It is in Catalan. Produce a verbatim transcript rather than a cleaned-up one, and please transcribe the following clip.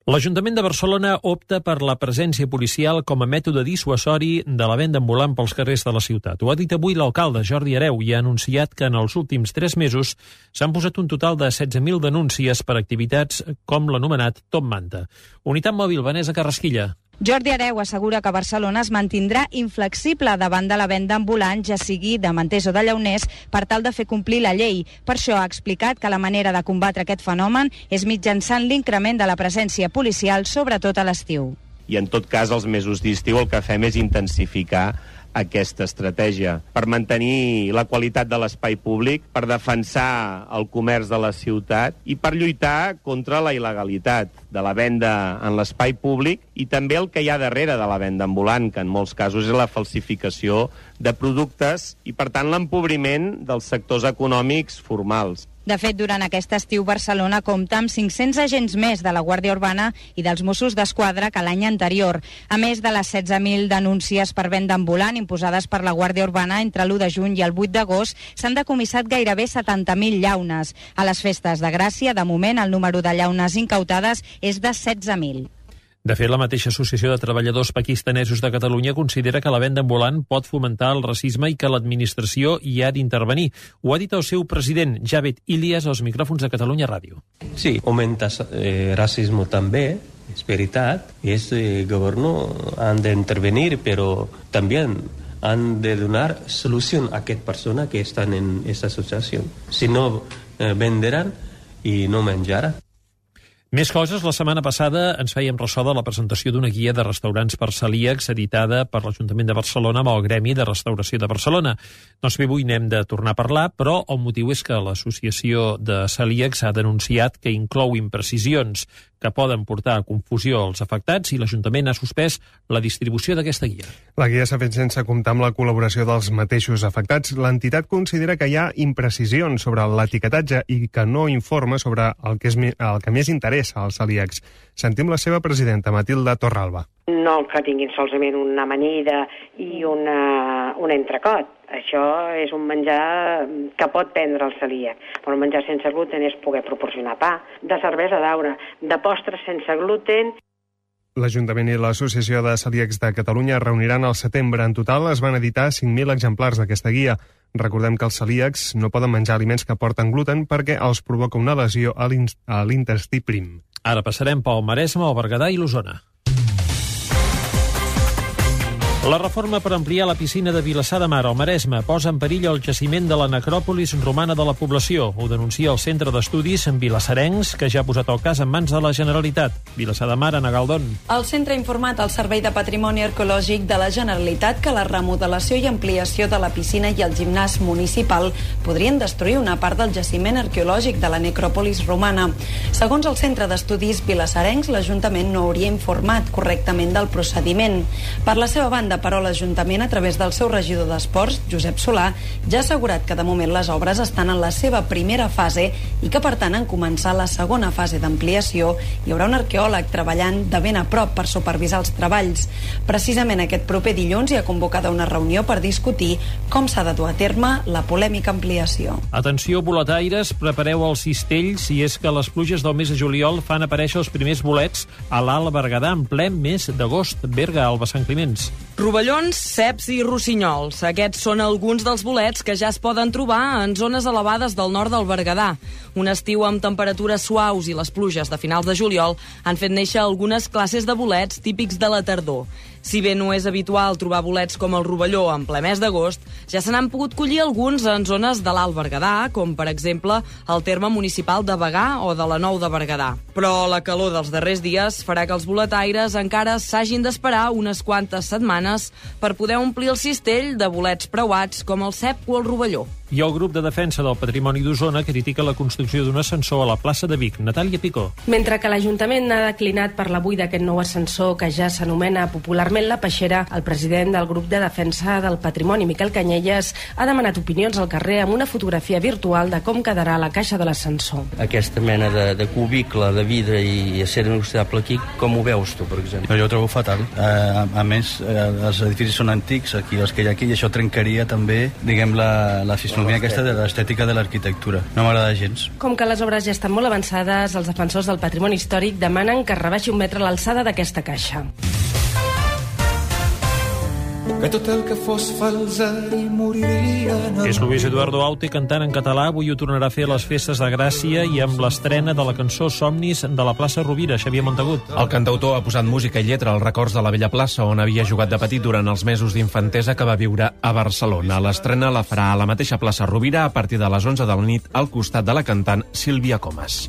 L'Ajuntament de Barcelona opta per la presència policial com a mètode dissuasori de la venda ambulant pels carrers de la ciutat. Ho ha dit avui l'alcalde Jordi Hereu i ha anunciat que en els últims tres mesos s'han posat un total de setze mil denúncies per activitats com l'anomenat Top Manta. Unitat Mòbil, Vanessa Carrasquilla. Jordi Hereu assegura que Barcelona es mantindrà inflexible davant de la venda ambulant, ja sigui de manters o de llauners, per tal de fer complir la llei. Per això ha explicat que la manera de combatre aquest fenomen és mitjançant l'increment de la presència policial, sobretot a l'estiu. I en tot cas, els mesos d'estiu el que fem és intensificar aquesta estratègia per mantenir la qualitat de l'espai públic, per defensar el comerç de la ciutat i per lluitar contra la il·legalitat de la venda en l'espai públic i també el que hi ha darrere de la venda ambulant, que en molts casos és la falsificació de productes i, per tant, l'empobriment dels sectors econòmics formals. De fet, durant aquest estiu, Barcelona compta amb cinc-cents agents més de la Guàrdia Urbana i dels Mossos d'Esquadra que l'any anterior. A més de les setze mil denúncies per venda ambulant imposades per la Guàrdia Urbana entre l'u de juny i el vuit d'agost, s'han decomissat gairebé setanta mil llaunes. A les festes de Gràcia, de moment, el número de llaunes incautades és de setze mil. De fet, la mateixa Associació de Treballadors Pakistanesos de Catalunya considera que la venda ambulant pot fomentar el racisme i que l'administració hi ha d'intervenir. Ho ha dit el seu president, Javed Ilias, als micròfons de Catalunya Ràdio. Sí, augmenta eh, racisme també, és veritat, i els eh, governs han d'intervenir, però també han de donar solució a aquestes persones que estan en aquesta associació. Si no, eh, venderan i no menjaran. Més coses. La setmana passada ens fèiem ressò de la presentació d'una guia de restaurants per celíacs editada per l'Ajuntament de Barcelona amb el Gremi de Restauració de Barcelona. Doncs bé, avui n'hem de tornar a parlar, però el motiu és que l'Associació de Celíacs ha denunciat que inclou imprecisions que poden portar a confusió als afectats i l'Ajuntament ha suspès la distribució d'aquesta guia. La guia s'ha fet sense comptar amb la col·laboració dels mateixos afectats. L'entitat considera que hi ha imprecisions sobre l'etiquetatge i que no informa sobre el que, és, el que més interessa als celíacs. Sentim la seva presidenta, Matilda Torralba. No que tinguin solament una amanida i una, un entrecot. Això és un menjar que pot prendre el celíac. Però el menjar sense gluten és poder proporcionar pa, de cervesa d'aure, de postres sense gluten. L'Ajuntament i l'Associació de Celíacs de Catalunya reuniran al setembre. En total es van editar cinc mil exemplars d'aquesta guia. Recordem que els celíacs no poden menjar aliments que porten gluten perquè els provoca una lesió a l'intestí prim. Ara passarem pel Maresme, el Berguedà i l'Osona. La reforma per ampliar la piscina de Vilassar de Mar al Maresme posa en perill el jaciment de la necròpolis romana de la població. Ho denuncia el Centre d'Estudis en Vilassarencs, que ja ha posat el cas en mans de la Generalitat. Vilassar de Mar, Ana Galdón. El centre ha informat al Servei de Patrimoni Arqueològic de la Generalitat que la remodelació i ampliació de la piscina i el gimnàs municipal podrien destruir una part del jaciment arqueològic de la necròpolis romana. Segons el Centre d'Estudis Vilassarencs, l'Ajuntament no hauria informat correctament del procediment. Per la seva banda, però l'Ajuntament, a través del seu regidor d'Esports, Josep Solà, ja ha assegurat que de moment les obres estan en la seva primera fase i que, per tant, en començar la segona fase d'ampliació hi haurà un arqueòleg treballant de ben a prop per supervisar els treballs. Precisament aquest proper dilluns hi ha convocada una reunió per discutir com s'ha de dur a terme la polèmica ampliació. Atenció, boletaires, prepareu el cistell si és que les pluges del mes de juliol fan aparèixer els primers bolets a l'Alt Berguedà en ple mes d'agost. Berga, Alba Sant Climenç. Rovellons, ceps i rossinyols. Aquests són alguns dels bolets que ja es poden trobar en zones elevades del nord del Berguedà. Un estiu amb temperatures suaus i les pluges de finals de juliol han fet néixer algunes classes de bolets típics de la tardor. Si bé no és habitual trobar bolets com el rovelló en ple mes d'agost, ja se n'han pogut collir alguns en zones de l'Alt Berguedà, com per exemple el terme municipal de Bagà o de la Nou de Berguedà. Però la calor dels darrers dies farà que els boletaires encara s'hagin d'esperar unes quantes setmanes per poder omplir el cistell de bolets preuats com el cep o el rovelló. I el grup de defensa del patrimoni d'Osona critica la construcció d'un ascensor a la plaça de Vic. Natàlia Picó. Mentre que l'Ajuntament ha declinat per l'avui d'aquest nou ascensor que ja s'anomena popularment la Peixera, el president del grup de defensa del patrimoni, Miquel Canyelles, ha demanat opinions al carrer amb una fotografia virtual de com quedarà la caixa de l'ascensor. Aquesta mena de, de cubicle de vidre i acer inoxidable aquí, com ho veus tu, per exemple? Jo ho trobo fatal. Eh, a, a més, eh, els edificis són antics, aquí els que hi ha aquí, i això trencaria també, diguem, la, la fisura filosofia aquesta de l'estètica de l'arquitectura. No m'agrada gens. Com que les obres ja estan molt avançades, els defensors del patrimoni històric demanen que rebaixi un metre l'alçada d'aquesta caixa. Que tot el que fos fals i moriria... És Luis Eduardo Aute cantant en català. Avui ho tornarà a fer a les festes de Gràcia i amb l'estrena de la cançó Somnis de la plaça Rovira. Xavier Montagut. El cantautor ha posat música i lletra als records de la vella plaça on havia jugat de petit durant els mesos d'infantesa que va viure a Barcelona. L'estrena la farà a la mateixa plaça Rovira a partir de les onze de la nit al costat de la cantant Sílvia Comas.